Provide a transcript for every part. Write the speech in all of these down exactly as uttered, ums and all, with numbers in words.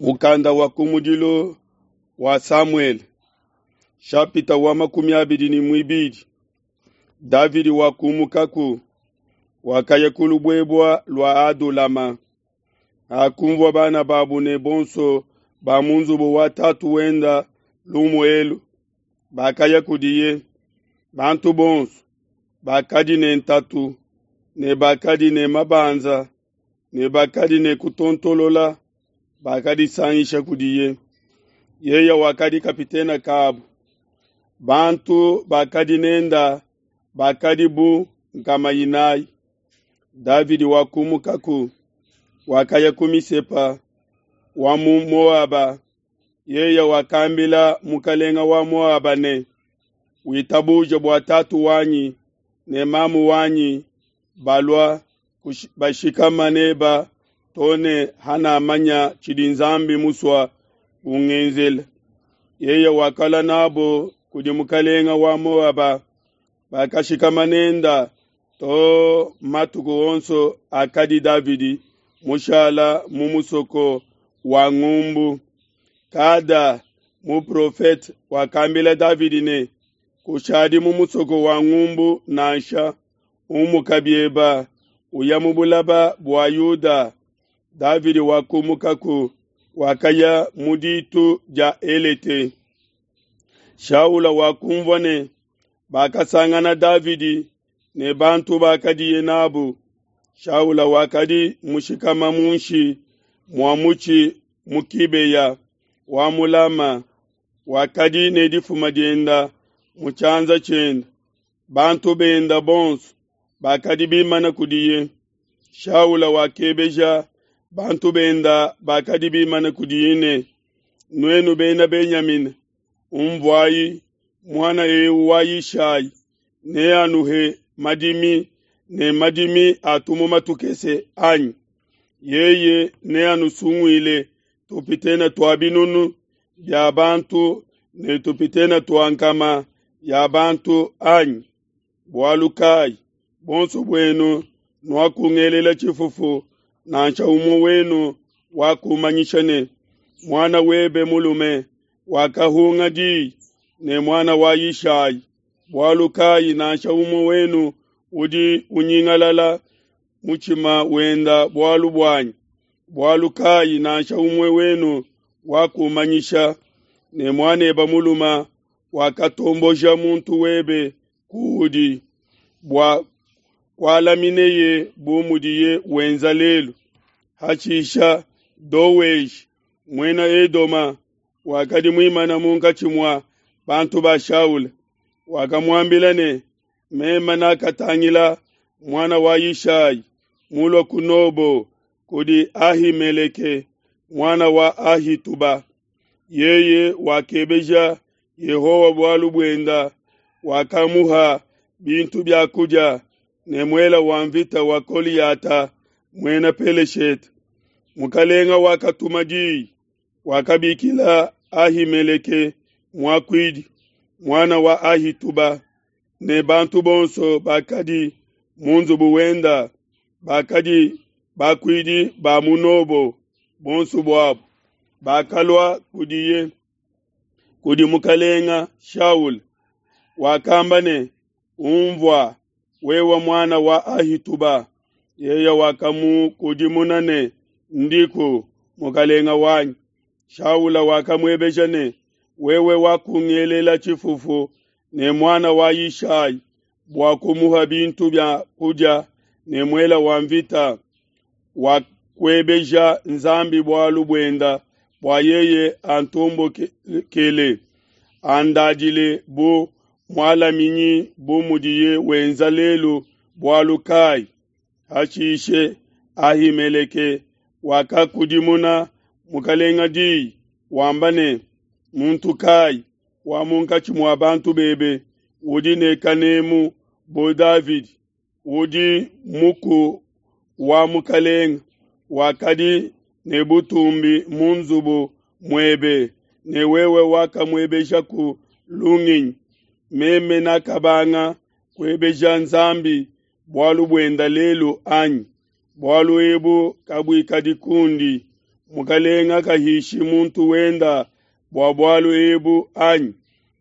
Mukanda wa kumudilu wa Samuele, shapita wa makumi abidi ne muibidi. Davidi wakumukaku, wakaya ku lubuebua lua Adulama. Hakunvua bana babu ne bonso ba mu nzubu wa tatu wenda lumu elu, bakaya kudiye. Bantu bonso bakadi ne ntatu ne bakadi ne mabanza ne bakadi ne kutontolola bakadisangisha kudiye. Yeye wakadi kapitene kabu. Bantu bakadi nenda bakadi bu nkama inayi. Davidi wakumukaku, wakaya ku Misepa wa mu Moaba. Yeye wakambila mukalenga wa Moaba ne, witabuje bua tatu wanyi ne mamu wanyi balua bashikama neba to ne hanamanya tshidi Nzambi musua kungenzela. Yeye wakalua nabo kudi mukalenga wa Moaba, bakashikama nenda to matuku onso akadi Davidi mushala mu musoko wa ngumbu. Kada muprofete wakambila Davidi ne, kushadi mu musoko wa ngumbu nansha, umuka bieba uya mu bulaba bua Yuda. Davidi wakumukaku, wakaya mu ditu dia Elete. Shaula wakumvua ne bakasangana Davidi ne bantu bakadiye nabu. Shaula wakadi mushikama munshi mua mutshi mu Kibeya wa mulama, wakadi ne difuma dienda mu tshianza tshienda. Bantu benda bonso bakadi bimana kudiye. Shaula wakebeja bantu benda bakadi bimana kudiye ne, nuenu bena Benyamina, umvuayi, muana eu wa Yishai neanuhe madimi ne madimi a tumuma tukese anyi? Yeye neanusunguile tupitene tua binunu bia bantu ne tupitene tua nkama ya bantu anyi? Bualu kai bonso buenu nuakungelela tshifufu, nansha umue wenu wakumanyisha ne, muana webe mulume wakahunga diyi ne muana wa Yishai? Bualu kai nansha umue wenu udi unyingalala mutshima wenda bualu buanyi? Bualu kai nansha umue wenu wakumanyisha ne muaneba muluma wakatomboja muntu webe kuudi bua kualamineye bu mudiye wenza lelu? Hashisha Doweji muena Edoma wakadi muimana munkatshi mua bantu ba Shaula, wakamuambila ne, mema nakatangila muana wa Yishai mulua ku Nobo kudi Ahimeleke muana wa Ahituba. Yeye wakebeja Yehowa bualu buenda, wakamuha bintu bia kudia ne muela wa mvita wa Koliyata muena Peleshete. Mukalenga wakatuma diyi, wakabikila Ahimeleke muakuidi, muana wa Ahituba, ne bantu bonso bakadi mu nzubu wenda, bakadi bakuidi ba mu Nobo bonso buabu, bakalua kudiye kudi mukalenga Shaula. Wakamba ne, umvua wewe muana wa Ahituba. Yeye wakamukudimuna ne, ndiku mukalenga wanyi. Shaula wakamuebeja ne, wewe wakungelela tshifufu ne muana wa Yishai bua kumuha bintu bia kudia ne muela wa mvita, wakuebeja Nzambi bualu buenda bua yeye antombokele, andadile bu mualaminyi bu mudiye wenza lelu bualu kai? Hashishe Ahimeleke wakakudimuna mukalenga diyi wamba ne, muntu kai wa munkatshi mua bantu bebe udi ne kanemu bu Davidi, udi muku wa mukalenga, wakadi ne butumbi mu nzubu muebe, ne wewe wakamuebeja ku lungenyi? Meme nakabanga kuebeja Nzambi bualu buenda lelu anyi? Bualu ebu kabuikadi kundi. Mukalenga kahishi muntu wenda bua bualu ebu anyi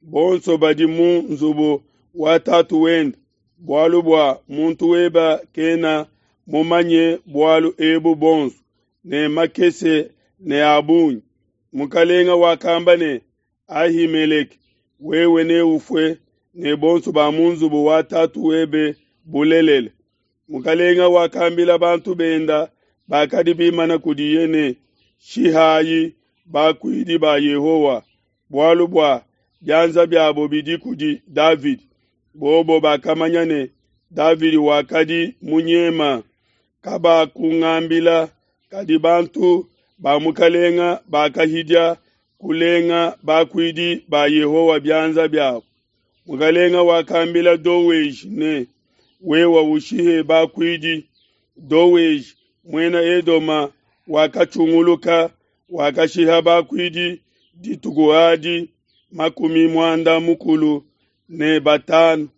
bonso badi mu nzubu wa tatu wende, bualu bua muntu weba kena mumanye bualu ebu bonso, ne makese ne a bungi. Mukalenga wakamba ne, Ahimeleke, wewe neufue ne bonso ba mu nzubu wa tatu webe bulelela. Mukalenga wakambila bantu benda bakadi bimana kudiye ne, Shihayi bakuidi ba Yehowa, bualu bua bianza biabo bidi kudi Davidi. Bobo bakamanya ne, Davidi wakadi munyema. Kabakungambila, kadi bantu ba mukalenga bakahidia kulenga bakuidi ba Yehowa bianza biabo. Mukalenga wakambila Doweji ne, wewa ushihe bakuidi. Doweji muena Edoma wakatshunguluka, wakashiha bakuidi dituku adi makumi muanda mukulu ne batanu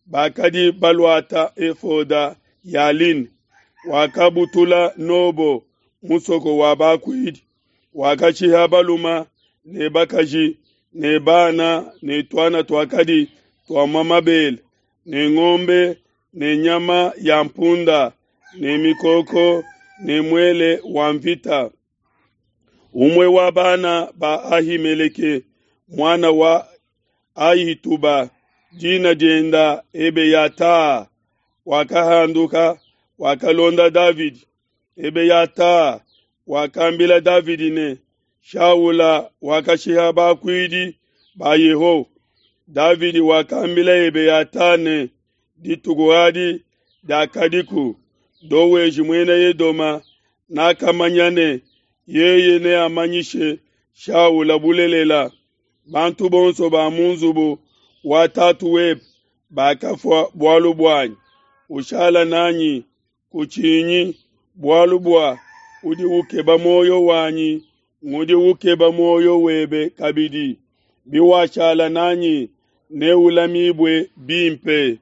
bakadi baluata efoda ya line. Wakabutula Nobo, musoko wa bakuidi, wakashiha baluma ne bakaji ne bana ne tuana tuakadi tuamua mabele ne ngombe ne nyama ya mpunda ne mikoko ne muele wa mvita. Umue wa bana ba Ahimeleke, muana wa Ahituba, dina dienda Ebeyata, wakahanduka, wakalonda Davidi. Ebeyata wakambila Davidi ne, Shaula wakashiha bakuidi ba Yehowa. Davidi wakambila Ebeyata ne, dituku adi diakadiku Doweji muena Edoma nakamanya ne, yeye neamanyishe Shaula bulelela. Bantu bonso ba mu nzubu wa tatu webe bakafua bualu buanyi. Ushala nanyi, kutshinyi, bualu bua udi ukeba muoyo wanyi ngudi ukeba muoyo webe kabidi. Biwashala nanyi neulamibue bimpe.